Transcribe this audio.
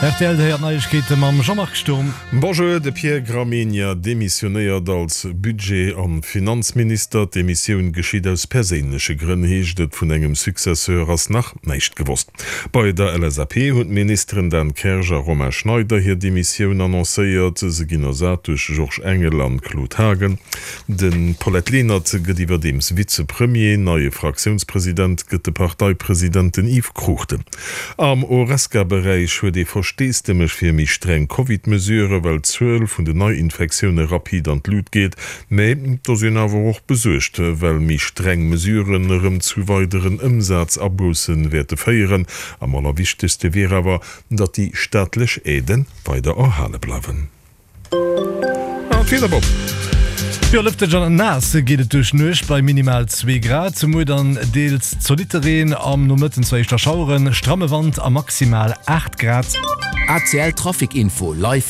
Rtl, Dir héiert d'Neiegkeete mam Jean-Marc Sturm. Bonjour, De Pierre Gramegna demissionéiert als Budget a Finanzminister. D'Demissioun geschitt aus perséinleche Grënn, heescht et. Vun engem Successeur ass nach näischt gewosst. Bei der LSAP hunn d'Ministeren Dan Kersch a Romain Schneider hir Demissioun annoncéiert. Se ginn ersat duerch Georges Engel an Claude Haagen. De Paulette Lenert gëtt iwwerdeems Vizepremier. Neie Fraktiounspresident gëtt de Parteipresident, den Yves Cruchten. Am Horesca-Beräich huet ee Versteesdemech fir méi streng Covid-Mesurë, well d'Zuel vun den Neiinfektioune rapid an d'Lut geet. Mä et ass een awer och besuergt, well méi streng Mesuren erëm zu weideren Ëmsazabousse wäerte féieren. Am allerwichtegste wier awer, datt déi staatlech Aidë weider erhale bleiwen. An d'Wieder, Bob? Jo, lëfteg an naass geet et duerch d'Nuecht bei minimal 2 Grad. Muer dann deels zolitte Reen, am Nomëtten zwar éischter Schaueren, stramme Wand a maximal 8 Grad. ACL Trafic Info live.